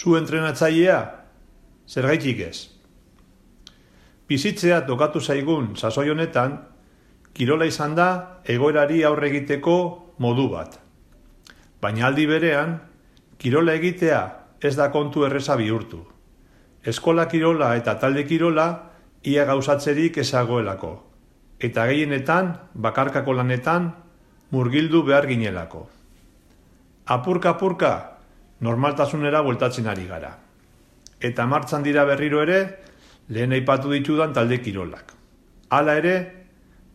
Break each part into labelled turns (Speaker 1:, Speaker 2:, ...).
Speaker 1: Zu entrenatzailea, zergaitik ez. Bizitzea tokatu zaigun sasoi honetan, kirola izan da egoerari aurre egiteko modu bat. Baina aldi berean, kirola egitea ez da kontu erreza bihurtu. Eskola kirola eta talde kirola ia gauzatzerik ezagoelako. Eta gehienetan, bakarkako lanetan, murgildu behar ginelako. Apurka-apurka, normaltasunera bueltatzen ari gara. Eta martxan dira berriro ere, lehen aipatu ditudan talde kirolak. Hala ere,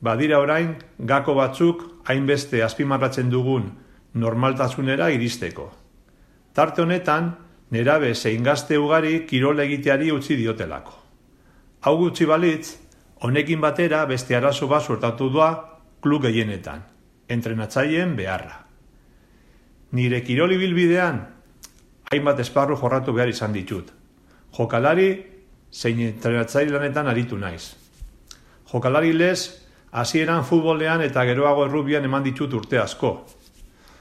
Speaker 1: badira orain gako batzuk hainbeste azpimarratzen dugun normaltasunera iristeko. Tarte honetan, nerabe zein gazte ugari kirola egiteari utzi diotelako. Hau gutxi balitz, honekin batera beste arazo bat suertatu doa klub gehienetan, entrenatzaileen beharra. Nire kiroli bilbidean, hainbat esparru jorratu behar izan ditut. Jokalari zein entrenatzaile lanetan aritu naiz. Jokalari lez, hasieran futbolean eta geroago errubian eman ditut urte asko.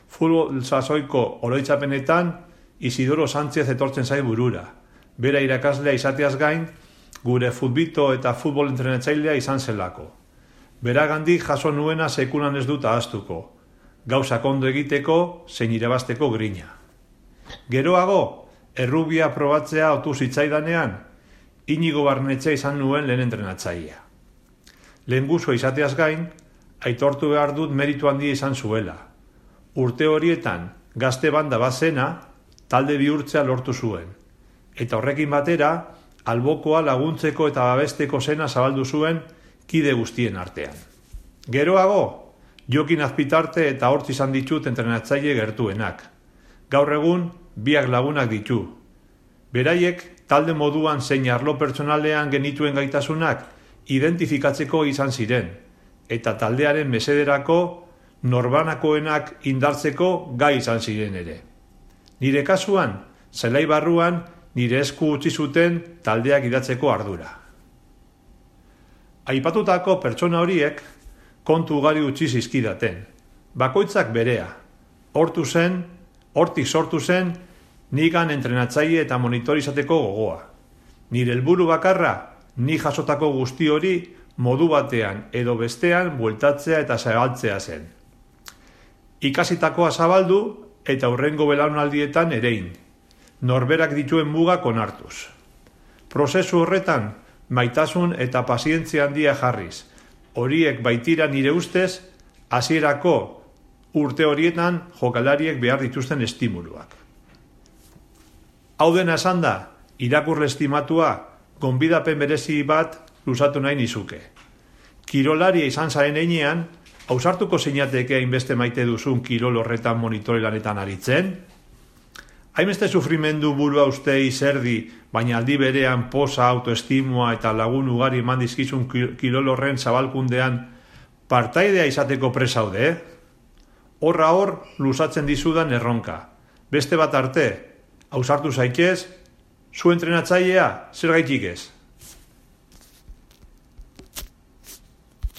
Speaker 1: Futbol sasoiko oroitzapenetan Isidoro Sánchez etortzen zai burura. Bera irakaslea izateaz gain, gure futbito eta futbol entrenatzailea izan zelako. Beragandik jaso nuena sekulan ez dut ahaztuko. Gauzak ondo egiteko, zein irabazteko grina. Geroago, errubia probatzea otu zitzaidanean, Inigo Barnetxe izan nuen lehen entrenatzailea. Lehengusua izateaz gain, aitortu behar dut meritu handia izan zuela. Urte horietan, gazte banda bat zena, talde bihurtzea lortu zuen. Eta horrekin batera, albokoa laguntzeko eta babesteko zena zabaldu zuen kide guztien artean. Geroago, Jokin Azpitarte eta Hortz izan ditut entrenatzaile gertuenak. Gaur egun, biak lagunak ditu. Beraiek, talde moduan zein arlo pertsonalean genituen gaitasunak identifikatzeko izan ziren, eta taldearen mesederako norbanakoenak indartzeko gai izan ziren ere. Nire kasuan, zelai barruan, nire esku utzi zuten taldeak idatzeko ardura. Aipatutako pertsona horiek kontu ugari utzi zizkidaten. Bakoitzak berea. Hortik sortu zen, nigan entrenatzaile eta monitor izateko gogoa. Nire helburu bakarra, ni jasotako guzti hori modu batean edo bestean bueltatzea eta zabaltzea zen. Ikasitakoa zabaldu eta hurrengo belaunaldietan erein. Norberak dituen mugak onartuz. Prozesu horretan, maitasun eta pazientzia handia jarriz. Horiek baitira nire ustez, hasierako urte horietan jokalariek behar dituzten estimuluak. Hau dena esan da, irakurle estimatua, gonbidapen berezi bat luzatu nahi nizuke. Kirolaria izan zaren heinean, ausartuko zeinateke hainbeste maite duzun kirol horretan monitore lanetan aritzen? Hainbeste sufrimendu burua ustei zerdi, baina aldi berean posa, autoestimua eta lagun ugari eman dizkizun kirol horren zabalkundean partaidea izateko presaude, Horra hor luzatzen dizudan erronka. Beste bat arte, ausartu zaitez, zu entrenatzailea, zergaitik ez.